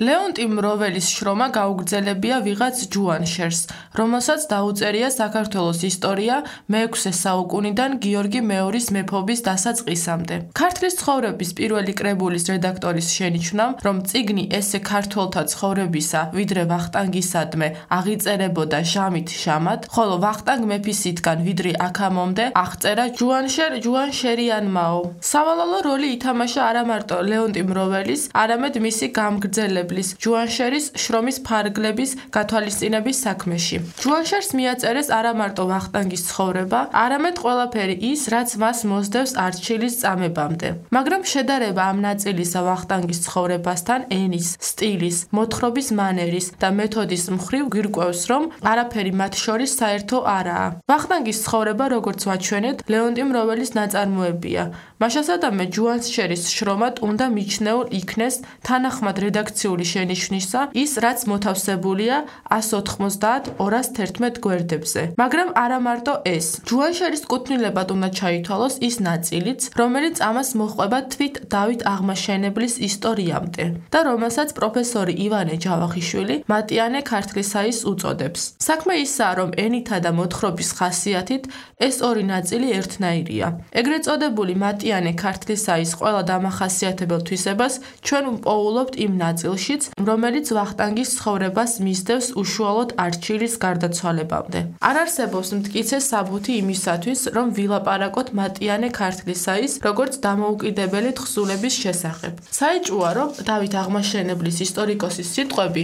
ლეონტი მროველის შრომა გაუგრძელებია ვიღაც ჯუანშერს, რომელსაც დაუწერია საქართველოს ისტორია მე-6 საუკუნიდან გიორგი მეორის მეფობის დასაწყისამდე. ქართლის ცხოვრების პირველი კრებულის რედაქტორის შენიშვნამ, რომ წიგნი ესე ქართველთა ცხოვრებისა, ვიდრე ვახტანგისადმე აღიწერებოდა ჟამით ჟამად, ხოლო ვახტანგ მეფისითგან ვიდრე აქამომდე აღწერა ჯუანშერიანმაო. სავალალო როლი ითამაშა არა მარტო ლეონტი მროველის, არამედ მისი გამგრძელებლის ჯუანშერის შრომის ფარგლების გათვალისწინების საქმეში. ჯუანშერს მიაწერეს არა მარტო ვახტანგის ცხოვრება, არამედ ყველაფერი ის, რაც მას მოსდევს არჩილის წამებამდე. მაგრამ შედარება ამ ნაწილისა ვახტანგის ცხოვრებასთან ენის, სტილის, მოთხრობის მანერის და მეთოდის მხრივ გვირკვევს, რომ არაფერი მათ შორის საერთო არაა. ვახტანგის ცხოვრება, როგორც ვაჩვენეთ, ლეონტი მროველის ნაწარმოებია. მაშასადამე ჯუანშერის შრომად უნდა მიჩნეულ იქნეს თანახმად რედაქციული შენიშვნისა ის, რაც მოთავსებულია 190-211 გვერდებზე. მაგრამ არა მარტო ეს. ჯუანშერის კუთვნილებად უნდა ჩაითვალოს ის ნაწილიც, რომელიც ამას მოჰყვება თვით დავით აღმაშენებლის ისტორიამდე და რომელსაც პროფესორი ივანე ჯავახიშვილი მატიანე ქართლისაის უწოდებს. საქმე ისაა, რომ ენითა და მოთხრობის ხასიათით ეს ორი ნაწილი ერთნაირია. ეგრეთ წოდებული მატიანე ქართლისაის ყველა დამახასიათებელ თვისებას ჩვენ ვპოულობთ იმ ნაწილშიც, რომელიც ვახტანგის ცხოვრებას მისდევს უშუალოდ არჩილის გარდაცვალებამდე. არ არსებობს მტკიცე საბუთი იმისათვის, რომ ვილაპარაკოთ მატიანე ქართლისაის როგორც დამოუკიდებელი თხზულების შესახებ. საეჭვოა, რომ დავით აღმაშენებლის ისტორიკოსის სიტყვები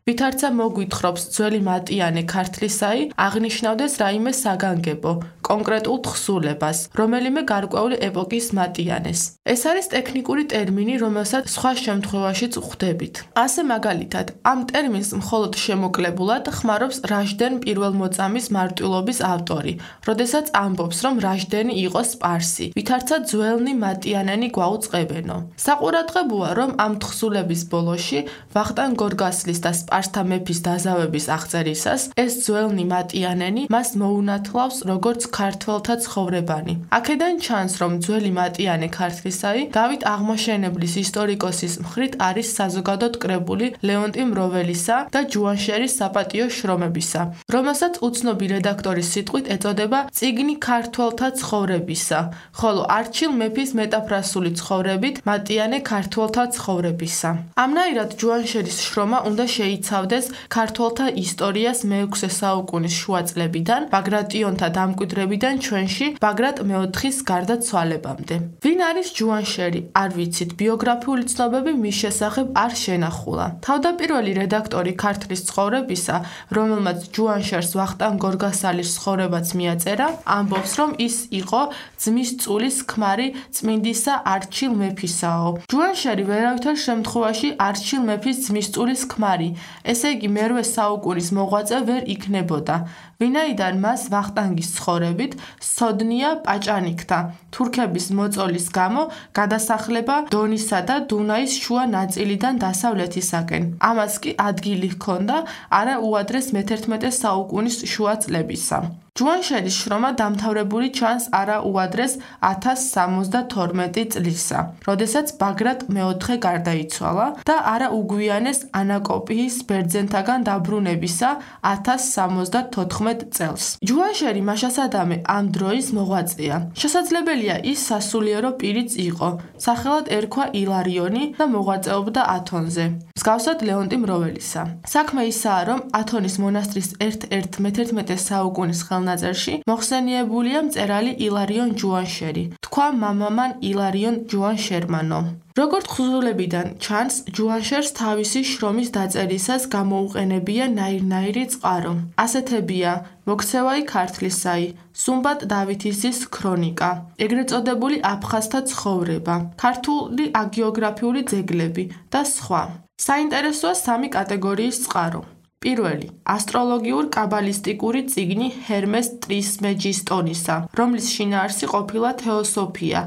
ვითარცა მოგვითხრობს ძველი მატიანე ქართლისაი აღნიშნავდეს რაიმე საგანგებო, კონკრეტულ თხზულებას, რომელიმე გარკვეული ეპოქის მატიანეს. ეს არის ტექნიკური ტერმინი, რომელსაც სხვა შემთხვევაშიც ვხვდებით. ასე მაგალითად, ამ ტერმინს მხოლოდ შემოკლებულად ხმარობს რაჟდენ პირველმოწამის მარტვილობის ავტორი, როდესაც ამბობს, რომ რაჟდენი იყო სპარსი, ვითარცა ძველნი მატიანენი გვაუწყებენო. საყურადღებოა, რომ ამ თხზულების ბოლოში ვახტანგ გორგასლის და სპარსთა მეფის დაზავების აღწერისას ეს ძველნი მატიანენი მას მოუნათლავს როგორც ქართველთა ცხოვრებანი. აქედან ჩანს, რომ ძველი მატიანე ქართლისაი დავით აღმაშენებლის ისტორიკოსის მხრით არის საზოგადოდ კრებული ლეონტი მროველისა და ჯუანშერის საპატიო შრომებისა, რომელსაც უცნობი რედაქტორის სიტყვით ეწოდება წიგნი ქართველთა ცხოვრებისა, ხოლო არჩილ მეფის მეტაფრასული ცხოვრებით მატიანე ქართველთა ცხოვრებისა. ამნაირად ჯუანშერის შრომა უნდა შეიცავდეს ქართველთა ისტორიას მე-6 საუკუნის შუა წლებიდან, ბაგრატიონთა დამკვიდრებიდან ჩვენში ბაგრატ მეოთხის გარდაცვალებამდე. ვინ არის ჯუანშერი? არ ვიცით, ბიოგრაფიული ცნობები მის შესახებ არ შენახულა. თავდაპირველი რედაქტორი ქართლის ცხოვრებისა, რომელმაც ჯუანშერს ვახტანგ გორგასალის ცხოვრებაც მიაწერა, ამბობს, რომ ის იყო ძმის წულის ქმარი წმინდისა არჩილ მეფისაო. ჯუანშერი ვერავითარ შემთხვევაში არჩილ მეფის ძმის წულის ქმარი, ესე იგი მე-8 საუკუნის მოღვაწე ვერ იქნებოდა, ვინაიდან მას ვახტანგის ცხოვრებით სცოდნია პაჭანიკთა, თურქების მოწოლის გამო გადასახლება დონისა და დუნაის შუა ნაწილიდან დასავლეთისაკენ. ამას კი ადგილი ჰქონდა არა უადრეს მე-11 საუკუნის შუა წლებისა. ჯუანშერის შრომა დამთავრებული ჩანს არა უადრეს 1072 წლისა, როდესაც ბაგრატ მეოთხე გარდაიცვალა და არა უგვიანეს ანაკოპიის ბერძენთაგან დაბრუნებისა 1074 წელს. ჯუანშერი მაშასადამე ამ დროის მოღვაწეა. შესაძლებელია ის სასულიერო პირიც იყო, სახელად ერქვა ილარიონი და მოღვაწეობდა ათონზე, მსგავსად ლეონტი მროველისა. საქმე ისაა, რომ ათონის მონასტრის ერთ-ერთ მე-11 საუკუნის ხელნაწერში მოხსენიებულია მწერალი ილარიონ ჯუანშერი, თქვა მამამან ილარიონ ჯუანშერმანო. როგორც თხზულებიდან ჩანს, ჯუანშერს თავისი შრომის დაწერისას გამოუყენებია ნაირ-ნაირი წყარო. ასეთებია მოქცევაი ქართლისაი, სუმბატ დავითისის ქრონიკა, ეგრეთ წოდებული აფხაზთა ცხოვრება, ქართული აგიოგრაფიული ძეგლები და სხვა. საინტერესოა სამი კატეგორიის წყარო. პირველი, ასტროლოგიურ-კაბალისტიკური წიგნი ჰერმეს ტრისმეჯისტონისა, რომლის შინაარსი ყოფილა თეოსოფია,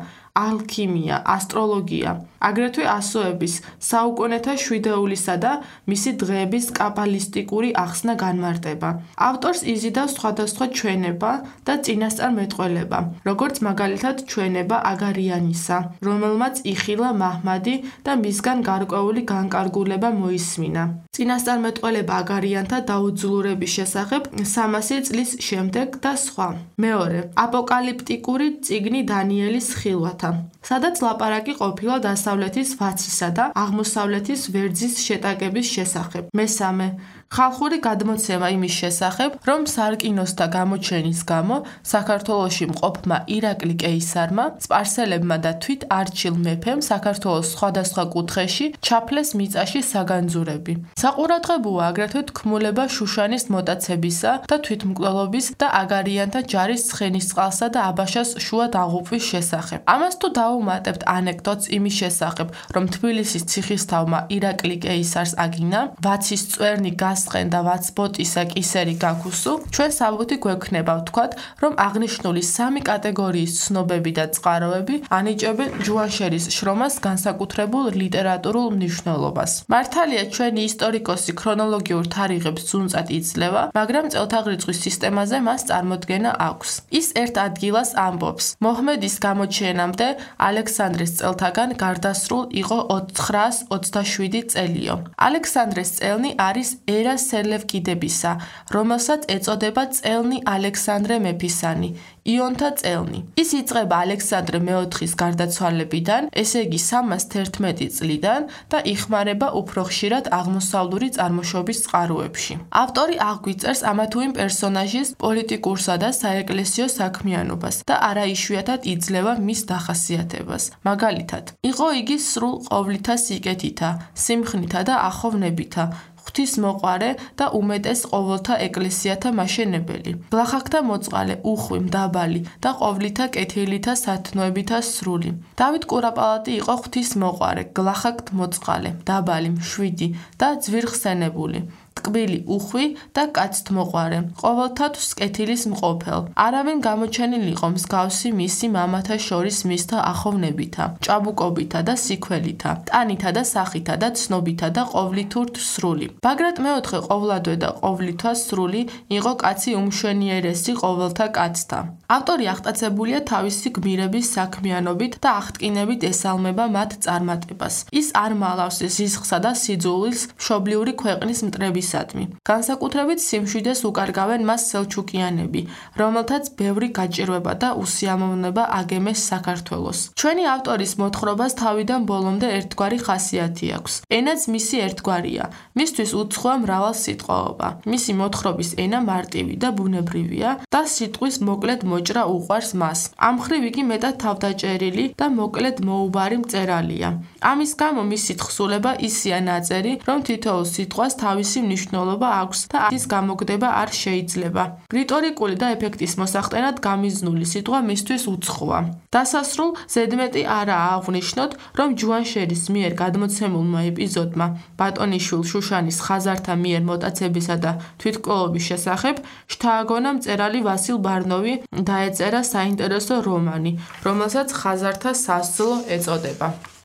ალქიმია, ასტროლოგია. აგრეთვე ასოების, საუკუნეთა შვიდეულისა და მისი დღეების კაბალისტიკური ახსნა განმარტება. ავტორს იზიდავს სხვადასხვა ჩვენება და წინასწარმეტყველება, როგორც მაგალითად ჩვენება აგარიანისა, რომელმაც იხილა მაჰმადი და მისგან გარკვეული განკარგულება მოისმინა. წინასწარმეტყველება აგარიანთა დაუძლურების შესახებ 300 წლის შემდეგ და სხვა. მეორე, აპოკალიპტიკური წიგნი დანიელის ხილვათა, სადაც ლაპარაკი ყოფილა დასავლეთის ვაცისა და აღმოსავლეთის ვერძის შეტაკების შესახებ. მესამე, ხალხური გადმოცემა იმის შესახებ, რომ სარკინოსთა გამოჩენის გამო საქართველოში მყოფმა ირაკლი კეისარმა, სპარსელებმა და თვით არჩილ მეფემ საქართველოს სხვადასხვა კუთხეში ჩაფლეს მიწაში საგანძურები. საყურადღებოა აგრეთვე თქმულება შუშანის მოტაცებისა და თვითმკვლელობის და აგარიანთა ჯარის ცხენისწყალსა და აბაშას შუა დაღუპვის შესახებ. ამას თუ დაუმატებთ ანეკდოტს იმის შესახებ, რომ თბილისის ციხისთავმა ირაკლი კეისარს აგინა, ვაცის წვერნი გასწყენ და ვაცბოტისა კისერი გაქუსუ, ჩვენ საბუთი გვექნება ვთქვათ, რომ აღნიშნული 3 კატეგორიის ცნობები და წყაროები ანიჭებენ ჯუანშერის შრომას განსაკუთრებულ ლიტერატურულ მნიშვნელობას. მართალია ჩვენი ისტორიკოსი ქრონოლოგიურ თარიღებს ძუნწად იძლევა, მაგრამ წელთაღრიცხვის სისტემაზე მას წარმოდგენა აქვს. ის ერთ ადგილას ამბობს, მოჰმედის გამოჩენამდე ალექსანდრეს წელთაგან გარდასრულ იყო 927 წელიო. ალექსანდრეს წელნი არის ერა სელევკიდებისა, რომელსაც ეწოდება წელნი ალექსანდრე მეფისანი, იონთა წელნი. ის იწყება ალექსანდრე მეოთხის გარდაცვალებიდან, ესე იგი 311 წლიდან და იხმარება უფრო ხშირად აღმოსავლური წარმოშობის წყაროებში. ავტორი აღგვიწერს ამა თუ იმ პერსონაჟის პოლიტიკურსა და საეკლესიო საქმიანობას და არა იშვიათად იძლევა მის დახასიათებას. მაგალითად, იყო იგი სრულ ყოვლითა სიკეთითა, სიმხნითა და ახოვნებითა, ღვთისმოყვარე და უმეტეს ყოველთა ეკლესიათა მაშენებელი, ბლახაკთა მოწყალე, უხვი, მდაბალი და ყოვლითა კეთილითა სათნოებითა სრული. დავით კურაპალატი იყო ღვთისმოყვარე, გლახაკთ მოწყალე, მდაბალი, მშვიდი და ძვირხსენებული, ტკბილი, უხვი და კაცთმოყვარე, ყოველთათვს კეთილის მყოფელ. არავინ გამოჩენილი იყო მსგავსი მისი მამათა შორის მისთა ახოვნებითა, ჭაბუკობითა და სიქველითა, ტანითა და სახითა და ცნობითა და ყოვლითურთ სრული. ბაგრატ მეოთხე ყოვლადვე და ყოვლითვა სრული იყო კაცი უმშვენიერესი ყოველთა კაცთა. ავტორი აღტაცებულია თავისი გმირების საქმიანობით და აღტკინებით ესალმება მათ წარმატებას. ის არ მალავს ზიზღსა და სიძულის მშობლიური ქვეყნის მტრებისადმი. განსაკუთრებით სიმშვიდეს უკარგავენ მას სელჩუკიანები, რომელთაც ბევრი გაჭირვება და უსიამოვნება აგემეს საქართველოს. ჩვენი ავტორის მოთხრობას თავიდან ბოლომდე ერთგვარი ხასიათი აქვს. ენაც მისი ერთგვარია. მისთვის უცხოა მრავალსიტყვაობა. მისი მოთხრობის ენა მარტივი და ბუნებრივია და სიტყვის მოკლედ მოჭრა უყვარს მას. ამ მხრივ იგი მეტად თავდაჭერილი და მოკლედ მოუბარი მწერალია. ამის გამო მისი თხზულება ისია ნაწერი, რომ თითოეულ სიტყვას თავისი მნიშვნელობა აქვს და ის გამოგდება არ შეიძლება. რიტორიკული და ეფექტის მოსახდენად გამიზნული სიტყვა მისთვის უცხოა. დასასრულ ზედმეტი არაა აღვნიშნოთ, რომ ჯუანშერის მიერ გადმოცემულმა ეპიზოდმა ბატონიშვილ შუშანის ხაზართა მიერ მოტაცებისა და თვითმკვლელობის შესახებ შთააგონა მწერალი ვასილ ბარნოვი დაეწერა საინტერესო რომანი, რომელსაც ხაზართა სასძლო ეწოდება.